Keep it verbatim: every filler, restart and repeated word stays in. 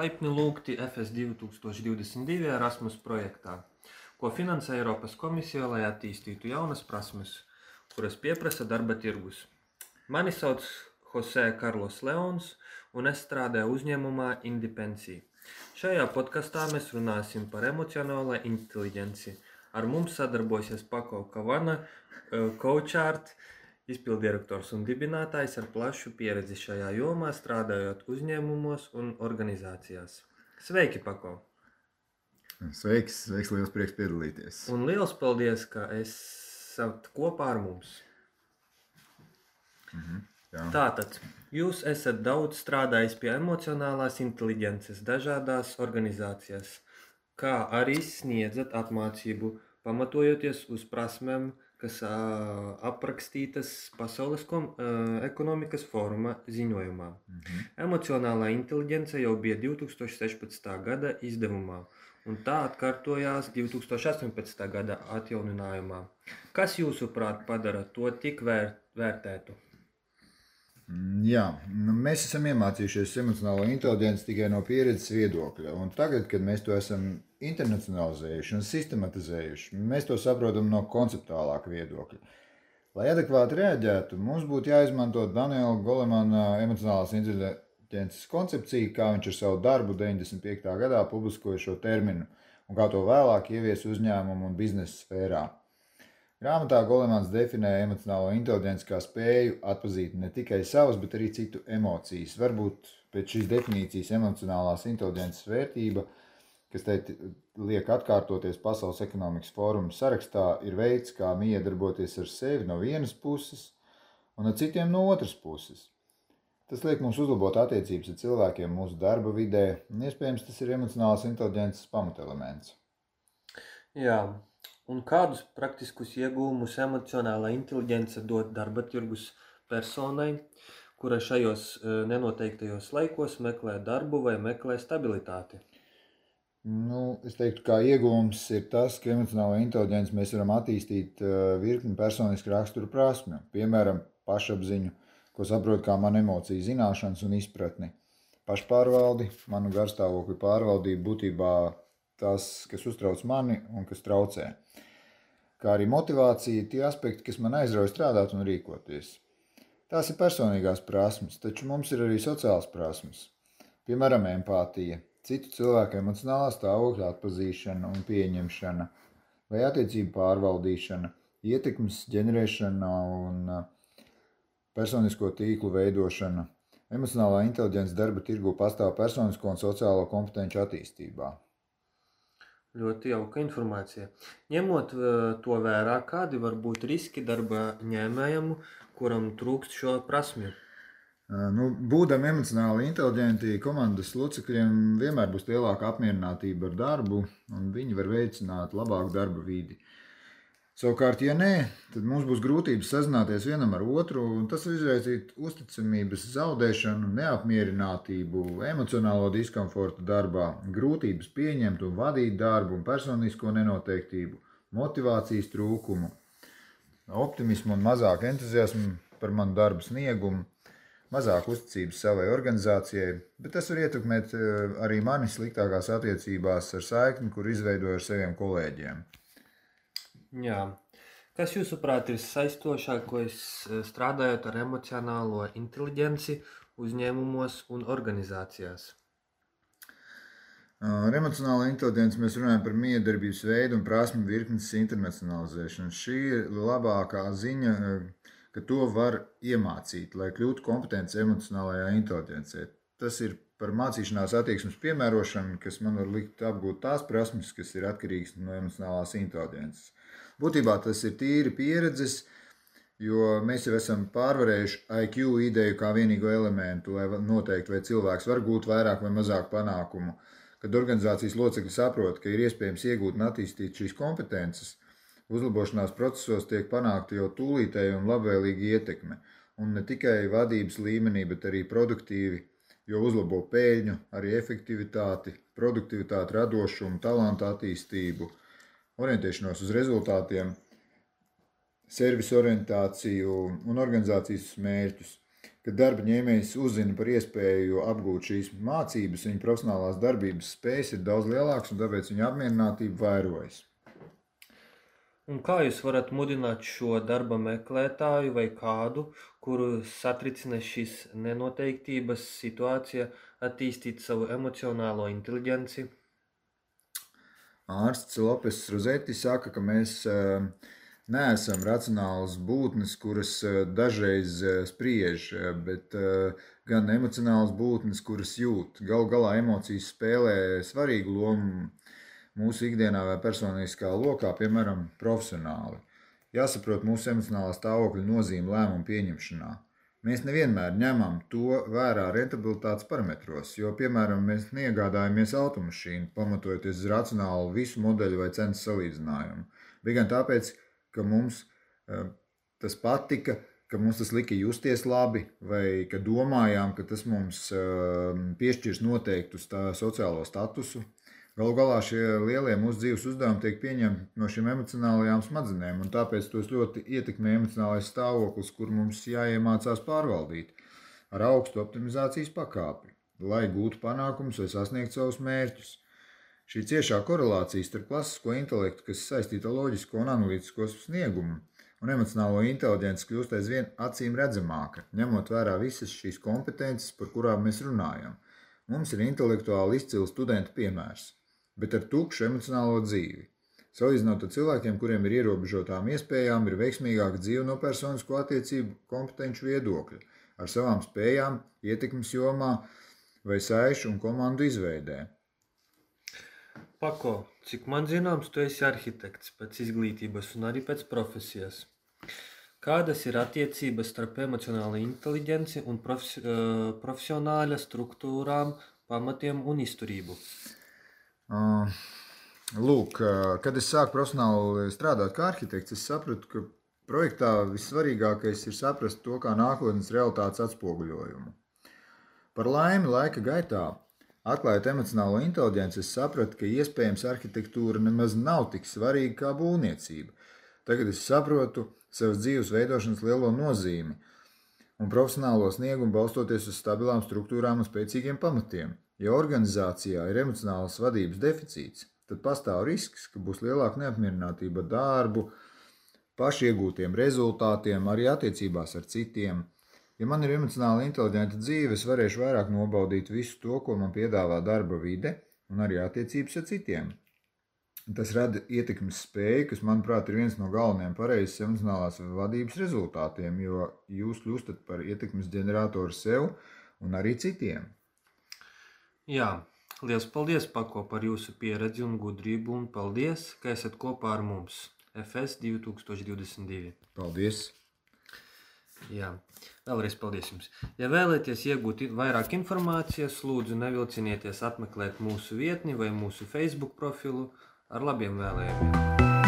Laipni lūgti F S divi tūkstoši divdesmit divi Erasmus projektā, ko finansē Eiropas komisija, lai attīstītu jaunas prasmes, kuras pieprasa darba tirgus. Mani sauc Jose Carlos Leons, un es strādāju uzņēmumā Indepensija. Šajā podkastā mēs runāsim par emocionālo inteliģenci. Ar mums sadarbosies Pako Kavana, CoachArt, izpildirektors un dibinātājs ar plašu pieredzi šajā jomā, strādājot uzņēmumos un organizācijās. Sveiki, Pako! Sveiks, sveiks, liels prieks piedalīties. Un liels paldies, ka esat kopā ar mums. Mhm, jā. Tātad, jūs esat daudz strādājis pie emocionālās inteliģences dažādās organizācijās, kā arī sniedzat apmācību, pamatojoties uz prasmēm, kas ā, aprakstītas Pasaules kom, ā, ekonomikas fóruma ziņojumā. Mhm. Emocionālā inteliģence jau bija divi tūkstoši sešpadsmitā gada izdevumā, un tā atkārtojās divi tūkstoši astoņpadsmitā gada atjauninājumā. Kas jūsuprāt padara to tik vēr, vērtētu? Jā, nu, mēs esam iemācījušies emocionālo inteliģenci tikai no pieredzes viedokļa. Un tagad, kad mēs to esam internacionalizējuši un sistematizējuši, mēs to saprotam no konceptuālāka viedokļa. Lai adekvāti reaģētu, mums būtu jāizmanto Daniela Golemana emocionālās inteliģences koncepcija, kā viņš ar savu darbu deviņdesmit piektā gadā publiskoja šo terminu un kā to vēlāk ievies uzņēmumu un biznesa sfērā. Grāmatā Golemans definē emocionālo inteliģenci kā spēju atpazīt ne tikai savas, bet arī citu emocijas. Varbūt pēc šīs definīcijas emocionālās inteliģences vērtība, kas te liek atkārtoties Pasaules ekonomikas fóruma sarakstā, ir veids, kā miedarboties ar sevi no vienas puses un ar citiem no otras puses. Tas liek mums uzlabot attiecības ar cilvēkiem mūsu darba vidē, un iespējams tas ir emocionālās inteliģences pamatelements. Jā. Un kādus praktiskus iegūmus emocionālā inteliģence dod darba tirgus personai, kura šajos nenoteiktajos laikos meklē darbu vai meklē stabilitāti? Nu, es teiktu, kā iegūms ir tas, ka emocionālo inteliģenci mēs varam attīstīt virkni personisku raksturu prasmju, piemēram, pašapziņu, ko saprot kā man emociju zināšanas un izpratni, pašpārvaldi, manu garstāvokļu pārvaldību, būtībā tas, kas uztrauc mani un kas traucē. Kā arī motivācija, tie aspekti, kas man aizrauj strādāt un rīkoties. Tās ir personīgās prasmes, taču mums ir arī sociālas prasmes. Piemēram, empātija, citu cilvēku emocionālā stāvokļa atpazīšana un pieņemšana, vai attiecību pārvaldīšana, ietekmes ģenerēšana un personisko tīklu veidošana. Emocionālā inteliģence darba tirgu pastāv personisko un sociālo kompetenci attīstībā. Ļoti jauka informācija. Ņemot to vērā, kādi var būt riski darba ņēmējam, kuram trūkst šo prasmju? Nu, būdami emocionāli inteliģenti, komandas locekļiem vienmēr būs lielāka apmierinātība ar darbu, un viņi var veicināt labāku darba vidi. Savukārt, ja nē, tad mums būs grūtības sazināties vienam ar otru, un tas izraisīt uzticamības zaudēšanu, neapmierinātību, emocionālo diskomfortu darbā, grūtības pieņemt un vadīt darbu un personisko nenoteiktību, motivācijas trūkumu, optimismu un mazāk entuziasmu par manu darbu sniegumu, mazāk uzticības savai organizācijai, bet tas var ietekmēt arī mani sliktākās attiecībās ar saikni, kur izveidoju ar saviem kolēģiem. Jā. Kas jūsuprāt ir saistošākais strādājot ar emocionālo inteliģenci uzņēmumos un organizācijās? Ar emocionālo inteliģenci mēs runājam par miedarbības veidu un prasmu virknes internacionalizēšanu. Šī ir labākā ziņa, ka to var iemācīt, lai kļūtu kompetents emocionālajā inteliģencē. Tas ir par mācīšanās attieksmes piemērošanu, kas man var likt apgūt tās prasmes, kas ir atkarīgas no emocionālās inteliģences. Būtībā tas ir tīri pieredzes, jo mēs jau esam pārvarējuši I Q ideju kā vienīgo elementu, lai noteikti, vai cilvēks var gūt vairāk vai mazāk panākumu. Kad organizācijas locekļi saprot, ka ir iespējams iegūt un attīstīt šīs kompetences, uzlabošanās procesos tiek panākta jau tūlītēja un labvēlīga ietekme. Un ne tikai vadības līmenī, bet arī produktīvi, jo uzlabo peļņu, arī efektivitāti, produktivitāti, radošumu, talantu attīstību, orientēšanos uz rezultātiem, servisu orientāciju un organizācijas mērķus. kad darba ņēmējs uzzina par iespēju apgūt šīs mācības, viņa profesionālās darbības spējas ir daudz lielākas un tāpēc viņa apmierinātība vairojas. Un kā jūs varat mudināt šo darba meklētāju vai kādu, kuru satricina šīs nenoteiktības situācija, attīstīt savu emocionālo inteliģenci? Ārsts Lopes Rozeti saka, ka mēs uh, neesam racionālas būtnes, kuras uh, dažreiz uh, spriež, uh, bet uh, gan emocionālas būtnes, kuras jūt. Galu galā emocijas spēlē svarīgu lomu mūsu ikdienā vai personiskā lokā, piemēram, profesionāli. Jāsaprot mūsu emocionālā stāvokļa nozīme lēmumu pieņemšanā. Mēs nevienmēr ņemam to vērā rentabilitātes parametros, jo, piemēram, mēs neiegādājamies automašīnu, pamatojoties uz racionālu visu modeļu vai cenas salīdzinājumu. Bija gan tāpēc, ka mums uh, tas patika, ka mums tas lika justies labi, vai ka domājām, ka tas mums uh, piešķirs noteiktu stā, sociālo statusu. Galu galā šie lielie mūsu dzīves uzdevumi tiek pieņemti no šīm emocionālajām smadzenēm, un tāpēc tos ļoti ietekmē emocionālais stāvoklis, kur mums jāiemācās pārvaldīt ar augstu optimizācijas pakāpi, lai gūtu panākumus vai sasniegtu savus mērķus. Šī ciešā korelācija starp klasisko intelektu, kas saistīta ar loģisko un analītisko sniegumu, un emocionālo inteliģenci kļūst aizvien acīm redzamāka, ņemot vērā visas šīs kompetences, par kurām mēs runājam. Mums ir intelektuāli izcili studentu piemērs, bet ar tukšu emocionālo dzīvi. Salīdzinot ar cilvēkiem, kuriem ir ierobežotām iespējām, ir veiksmīgāka dzīve no personisko attiecību kompetenču viedokļa, ar savām spējām, ietekmes jomā vai saišu un komandu izveidē. Pako, cik man zināms, tu esi arhitekts pēc izglītības un arī pēc profesijas. Kādas ir attiecības starp emocionālo inteliģenci un profes, profesionāļa struktūrām, pamatiem un izturību? Uh, lūk, kad es sāku profesionāli strādāt kā arhitekts, es sapratu, ka projektā vissvarīgākais ir saprast to kā nākotnes realitātes atspoguļojumu. Par laimi laika gaitā, atklājot emocionālo inteliģenci, es sapratu, ka iespējams arhitektūra nemaz nav tik svarīga kā būvniecība. Tagad es saprotu savas dzīves veidošanas lielo nozīmi un profesionālo sniegumu balstoties uz stabilām struktūrām un spēcīgiem pamatiem. Ja organizācijā ir emocionālas vadības deficīts, tad pastāv risks, ka būs lielāka neapmierinātība ar darbu, paši iegūtiem rezultātiem, arī attiecībās ar citiem. Ja man ir emocionāli inteliģenta dzīve, es varēšu vairāk nobaudīt visu to, ko man piedāvā darba vide un arī attiecības ar citiem. Tas rada ietekmes spēju, kas, manuprāt, ir viens no galvenajiem pareizes emocionālās vadības rezultātiem, jo jūs kļūstat par ietekmes ģeneratoru sev un arī citiem. Jā, liels paldies, Pako, par jūsu pieredzi un gudrību, un paldies, ka esat kopā ar mums. F S divi tūkstoši divdesmit divi. Paldies! Jā, vēlreiz paldies jums. Ja vēlaties iegūt vairāk informācijas, lūdzu nevilcinieties apmeklēt mūsu vietni vai mūsu Facebook profilu. Ar labiem vēlējumiem!